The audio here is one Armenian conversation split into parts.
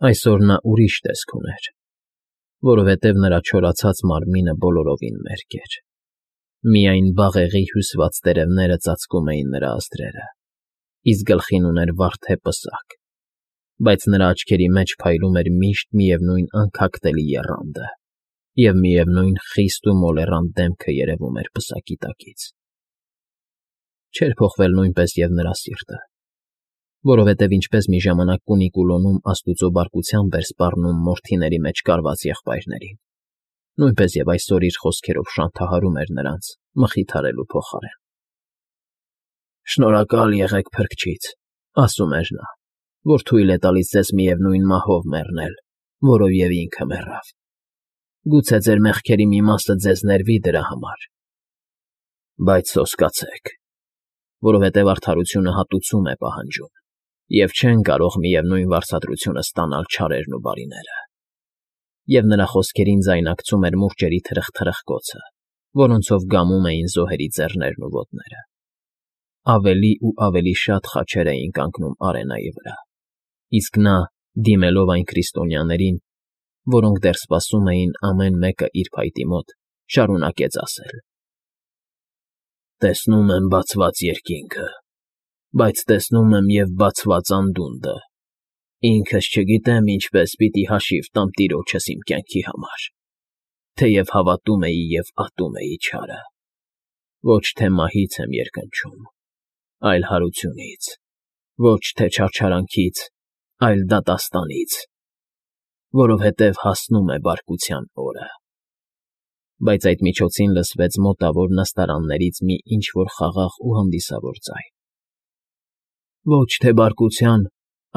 Այսօր նա ուրիշ տեսք ուներ, որովհետև նրա չորացած մարմինը բոլորովին մերկ էր. միայն բաղեղի հյուսված տերևները ծածկում էին նրա ազդրերը, իսկ գլխին ուներ վարդե պսակ, բայց նրա աչքերի մեջ փայլում էր միշտ միևնույն անքակտելի եռանդը, և միևնույն խիստ ու մոլեռանդ դեմքը երևում էր պսակի տակից։ Չէր փոխվել նույնպես և նրա սիրտը, որովհետև ինչպես մի ժամանակ Կունիկուլոնում աստուծո բարկությամբ էր սպառնում մորթիների մեջ կարված եղբայրներին, նույնպես և այսօր իր խոսքերով շանթահարում էր նրանց մխիթարելու փոխարեն։ «Շնորհակալ եղեք Փրկչից, ասում էր նա, որ թույլ է տալիս ձեզ միևնույն մահով մեռնել, որով և ինքը մեռավ։ Գուցե ձեր մեղքերի մի մասը ձեզ ներվի դրա համար, բայց սոսկացեք, որովհետև արդարությունը հատուցում է պահանջում, և չեն կարող միևնույն վարձատրությունը ստանալ չարերն ու բարիները»։ Եվ նրա խոսքերին ձայնակցում էր մուրճերի թրխկոցը, որոնցով գամում էին զոհերի ձեռներն ու ոտները։ Ավելի ու ավելի շատ խաչեր էին կանգնում արենայի վրա, իսկ նա, դիմելով այն քրիստոնյաներին, որոնք դեռ սպասում էին ամեն մեկը իր փայտի մոտ, շարունակեց ասել. «Տեսնում եմ բացված երկինքը, բայց տեսնում եմ և բացված անդունդը. ինքս չգիտեմ ինչպես պիտի հաշիվ տամ Տիրոջս իմ կյանքի համար, թեև հավատում էի և ատում էի չարը, ոչ թե մահից եմ երկնչում, այլ հարությունից, ոչ թե չարչարանքից, այլ դատաստանից, որովհետև հասնում է բարկության օրը»։ Բայց այդ միջոցին լսվեց մոտավոր նստարաններից մի ինչ֊որ խաղաղ ու հանդիսավոր ձայն. «Ոչ թե բարկության,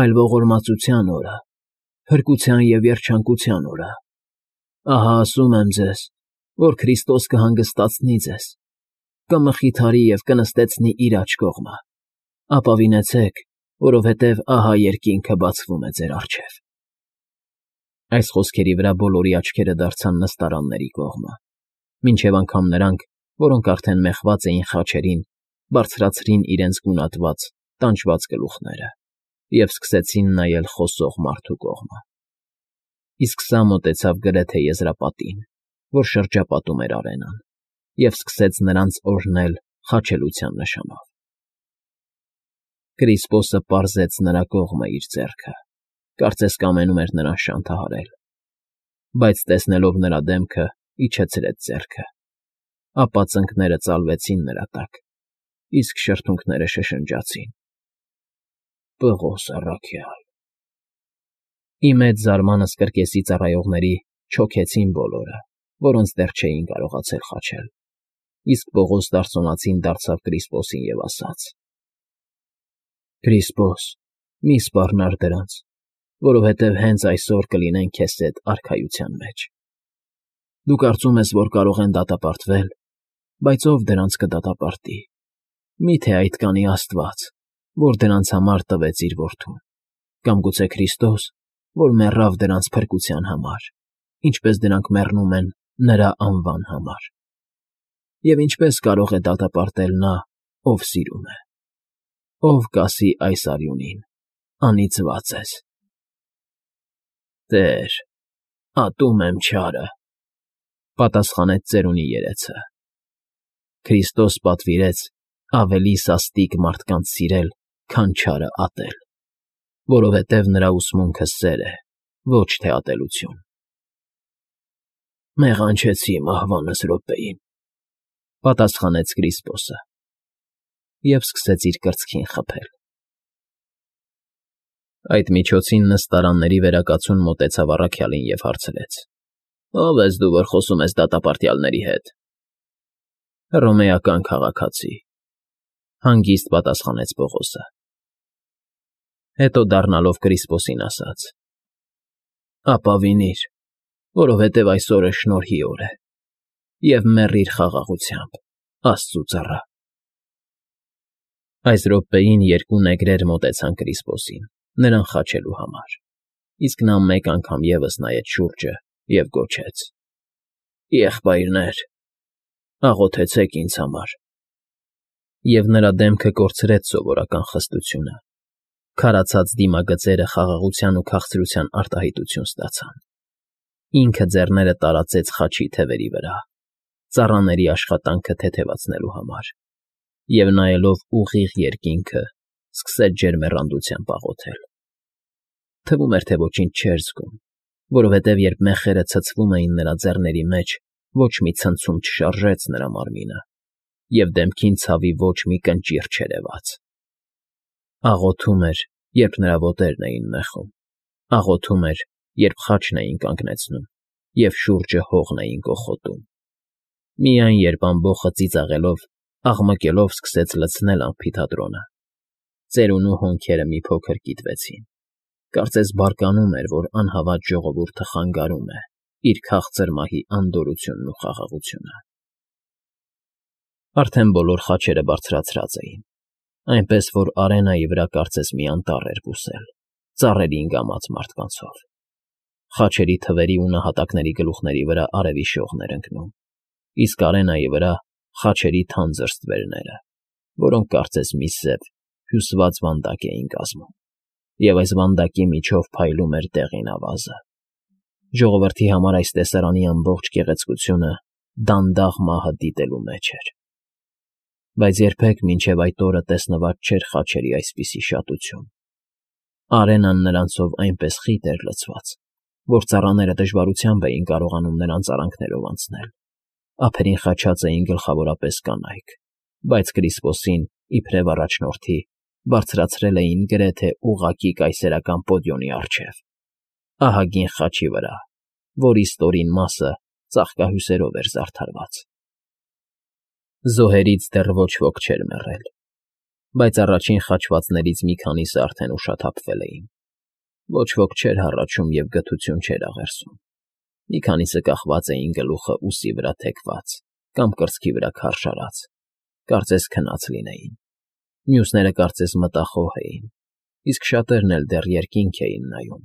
այլ ողորմածության օրը, փրկության և երջանկության օրը։ Ահա ասում եմ ձեզ, որ Քրիստոս կհանգստացնի ձեզ, կմխիթարի և կնստեցնի իր աջ կողմը։ Ապավինեցեք, որովհետև ահա երկինքը բացվում է ձեր առջև»։ Այս խոսքերի վրա բոլորի աչքերը դարձան նստարանների կողմը, մինչև անգամ նրանք, որոնք արդեն մեխված էին խաչերին, բարձրացրին իրենց գունատված, տանջված գլուխները և սկսեցին նայել խոսող մարդու կողմը։ Իսկ սա մոտեցավ գրեթե եզրապատին, որ շրջապատում էր արենան, և սկսեց նրանց օրհնել խաչելության նշանով։ Կրիսպոսը պարզեց նրա կողմը իր ձեռքը, կարծես կամենում էր նրան շանթահարել, բայց տեսնելով նրա դեմքը, իջեցրեց ձեռքը, ապա ծնկները ծալվեցին նրա տակ, իսկ շրթունքները շշնջացին. «Պղոս առաքյալ»։ Ի մեծ զարմանս կրկեսի ծառայողների չոքեցին բոլորը, որոնց դեռ չէին կարողացել խաչել, իսկ Պողոս դարսոնացին դարձավ Կրիսպոսին և ասաց. «Կրիսպոս, մի սպառնար դրանց, որովհետև հենց այսօր կլինեն քեզ հետ արքայության մեջ։ Դու կարծում ես, որ կարող են դատապարտվել, բայց ո՞վ դրանց կդատապարտի։ Մի՞թե այդ կանի Աստված, որ դրանց համար տվեց իր որդուն, կամ գուցե Քրիստոս, որ մեռավ դրանց փրկության համար, ինչպես դրանք մեռնում են նրա անվան համար։ Եվ ինչպե՞ս կարող է դատապարտել նա, ով սիրում է։ Ո՞վ կասի այս արյունին. անիծված ես։ Տեր, ատում եմ չարը, պատասխանեց ծերունի երեցը։ Քրիստոս պատվիրեց ավելի սաստիկ մարդկանց սիրել, քան չարը ատել, որովհետև նրա ուսմունքը սեր է, ոչ թե ատելություն։ Մեղանչեցի մահվանս րոպեին, պատասխանեց Կրիսպոսը և սկսեց իր կրծքին խփել։ Այդ միջոցին նստարանների վերակացուն մոտեցավ առաքյալին և հարցրեց. «Ո՞վ ես դու, որ խոսում ես դատապարտյալների հետ»։ «Հռոմեական քաղաքացի», հանգիստ պատասխանեց Պողոսը։ Հետո դառնալով Կրիսպոսին ասաց. «Ապավինիր, որովհետև այսօրը շնորհի օր է, և մեռիր խաղաղությամբ, Աստծու ծառա»։ Այս րոպեին երկու նեգրեր մոտեցան Կրիսպոսին, նրան խաչելու համար, իսկ նա մեկ անգամ ևս նայեց շուրջը և գոչեց. «Եղբայրներ, աղոթեցեք ինձ համար»։ Եվ նրա դեմքը կորցրեց սովորական խստությունը, Քարացած դիմագծերը խաղաղության ու քաղցրության արտահայտություն ստացան։ Ինքը ձեռները տարածեց խաչի թևերի վրա, ծառաների աշխատանքը թեթևացնելու համար, և նայելով ուղիղ երկինքը, սկսեց ջերմեռանդությամբ աղոթել։ Թվում էր, թե ոչինչ չէր զգում, որովհետև երբ մեխերը ցցվում էին նրա ձեռների մեջ, ոչ մի ցնցում չշարժեց նրա մարմինը, և դեմքին ցավի ոչ մի կնճիռ չերևաց։ Աղոթում էր, երբ նրա ոտերն էին մեխում, աղոթում էր, երբ խաչն էին կանգնեցնում, և շուրջը հողն էին կոխոտում։ Միայն երբ ամբոխը ծիծաղելով, աղմկելով սկսեց լցնել ամֆիթատրոնը, ծերունու հոնքերը մի փոքր կիտվեցին։ Կարծես բարկանում էր, որ անհավատ ժողովուրդը խանգարում է իր քաղցր մահի անդորրությունն ու խաղաղությունը։ Արդեն բոլոր խաչերը բարձրացրած էին, այնպես որ արենայի վրա կարծես մի անտառ էր բուսել, ծառերի ընգամած մարդկանցով։ Խաչերի թվերի ու նահատակների գլուխների վրա արևի շողն էր ընկնում, իսկ արենայի վրա խաչերի թանձր ստվերները, որոնք կարծես մի սև, հյուսված վանդակ էին կազմում, և այս վանդակի միջով փայլում էր դեղին ավազը։ Ժողովրդի համար այս տեսարանի ամբողջ գեղեցկությունը դանդաղ մահը դիտելու մեջ էր։ Բայց երբեք մինչև այդ օրը տեսնված չէր խաչերի այսպիսի շատություն։ Արենան նրանցով այնպես խիտ էր լցված, որ ծառաները դժվարությամբ էին կարողանում նրանց արանքներով անցնել։ Ափերին խաչած էին գլխավորապես կանայք, բայց Կրիսպոսին, իբրև առաջնորդի, բարձրացրել էին գրեթե ուղղակի կայսերական պոդիոմի առջև, ահագին խաչի վրա, որի ստորին մասը ծաղկահյուսերով էր զարդարված։ Զոհերից դեռ ոչ ոք չէր մեռել, բայց առաջին խաչվածներից մի քանիսը արդեն ուշաթափվել էին։ Ոչ ոք չէր հառաչում և գթություն չէր աղերսում։ Մի քանիսը կախված էին գլուխը ուսի վրա թեքված կամ կրծքի վրա քարշարած, կարծես քնած լինեին։ Մյուսները կարծես մտախոհ էին, իսկ շատերն էլ դեռ երկինք էին նայում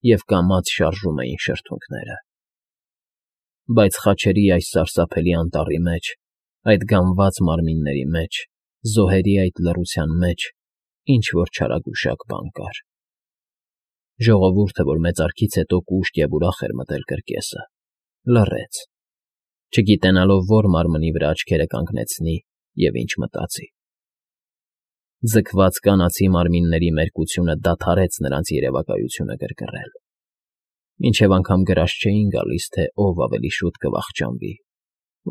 և կամաց շարժում էին շրթունքները։ Բայց խաչերի այս սարսափելի անտառի մեջ, այդ գամված մարմինների մեջ, զոհերի այդ լռության մեջ ինչ֊որ չարագուշակ բան կար։ Ժողովուրդը, որ մեծարգից հետո կուշտ և ուրախ էր մտել կրկեսը, լռեց, չգիտենալով որ մարմնի վրա աչքերը կանգնեցնի և ինչ մտածի։ Ձգված կանացի մարմինների մերկությունը դադարեց նրանց երևակայությունը գրգռել, մինչև անգամ գրաշ չէին գալիս, թե ով ավելի շուտ կվախճանվի,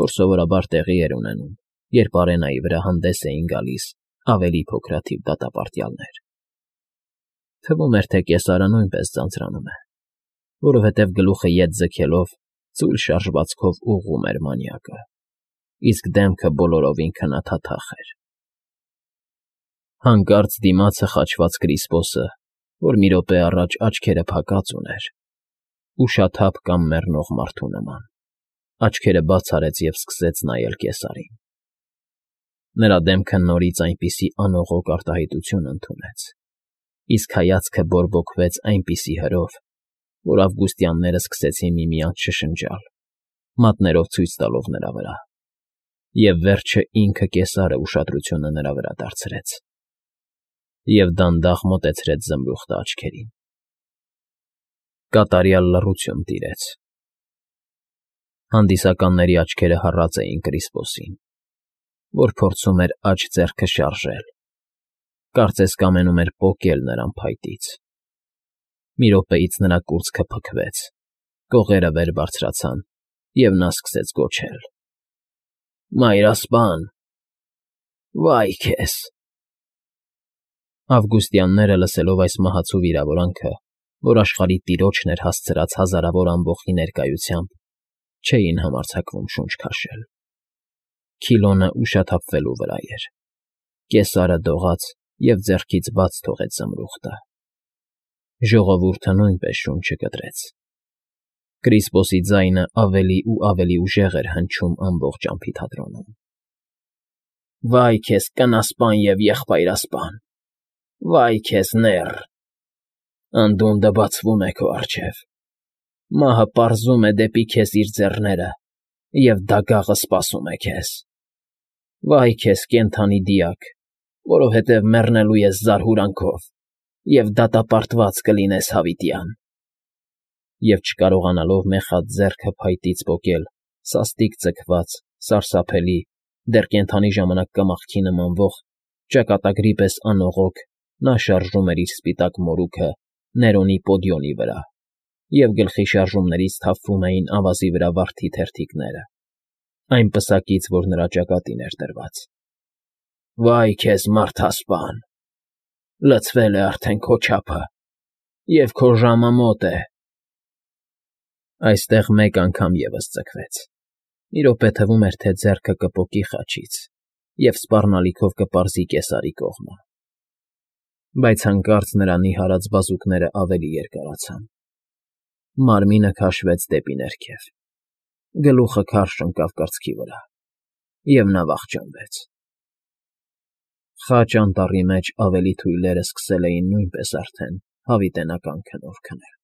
որ սովորաբար տեղի էր ունենում, երբ արենայի վրա հանդես էին գալիս ավելի փոքրաթիվ դատապարտյալներ։ Թվում էր, թե կեսարը նույնպես ձանձրանում է, որովհետև գլուխը ետ ձգելով ծույլ շարժվածքով ուղղում էր մանյակը, իսկ դեմքը բոլորովին քնաթաթախ էր։ Հանկարծ դիմացը խաչված Կրիսպոսը, որ մի րոպե առաջ աչքերը փակած ուներ, ուշաթափ կամ մեռնող մարդու նման, աչքերը բաց արեց և սկսեց նայել կեսարին։ Նրա դեմքը նորից այնպիսի անողոք արտահայտություն ընդունեց, իսկ հայացքը բորբոքվեց այնպիսի հրով, որ ավգուստյանները սկսեցին միմյանց շշնջալ, մատներով ցույց տալով նրա վրա, և վերջը ինքը կեսարը ուշադրությունը նրա վրա դարձրեց և դանդաղ մոտեցրեց զմրուխտը աչքերին։ Կատարյալ լռություն տիրեց։ Հանդիսականների աչքերը հառած էին Կրիսպոսին, որ փորձում էր աջ ձեռքը շարժել, կարծես կամենում էր պոկել նրան փայտից։ Մի րոպեից նրա կուրծքը փքվեց, կողերը վեր բարձրացան, և նա սկսեց գոչել. «Մայրասպան, վա՜յ քեզ»։ Ավգուստյանները, լսելով այս մահացու վիրավորանքը, որ աշխարհի տիրոջն էր հասցրած հազարավոր ամբոխի ներկայությամբ, չէին համարձակվում շունչ քաշել։ Քիլոնը ուշաթափվելու վրա էր։ Կեսարը դողաց և ձեռքից բաց թողեց զմրուխտը։ Ժողովուրդը նույնպես շունչը կտրեց։ Կրիսպոսի ձայնը ավելի ու ավելի ուժեղ էր հնչում ամբողջ ամֆիթատրոնում։ «Վա՜յ քեզ, կնասպան և եղբայրասպան, վա՜յ քեզ, նեռ, անդունդը բացվում է քո առջև, մահը պարզում է դեպի քեզ իր ձեռները, և դագաղը սպասում է քեզ։ Վա՜յ քեզ, կենդանի դիակ, որովհետև մեռնելու ես զարհուրանքով, և դատապարտված կլինես հավիտյան։ Եվ չկարողանալով մեխած ձեռքը փայտից պոկել սաստիկ ձգված, սարսափելի, դեռ կենդանի ժամանակ կմախքի նմանվող ճակատագրի պես անողոք, նա շարժում էր իր սպիտակ մորուքը Ներոնի պոդիոնի վրա, և գլխի շարժումներից թափվում էին ավազի վրա վարդի թերթիկները, այն պսակից, որ նրա ճակատին էր դրված։ Վա՜յ քեզ, մարդասպան, լցվել է արդեն քո չափը, և քո ժամը մոտ է… Այստեղ մեկ անգամ ևս ձգվեց, մի րոպե թվում էր, թե ձեռքը կպոկի խաչից և սպառնալիքով կպարզի կեսարի կողմը, բայց հանկարծ նրա նիհարած բազուկները ավելի երկարացան, մարմինը քաշվեց դեպի ներքև, գլուխը քարշ ընկավ կրծքի վրա, և նա վախճանվեց… Խաչ անտառի մեջ ավելի թույլերը սկսել էին նույնպես արդեն հավիտենական քնով քնել։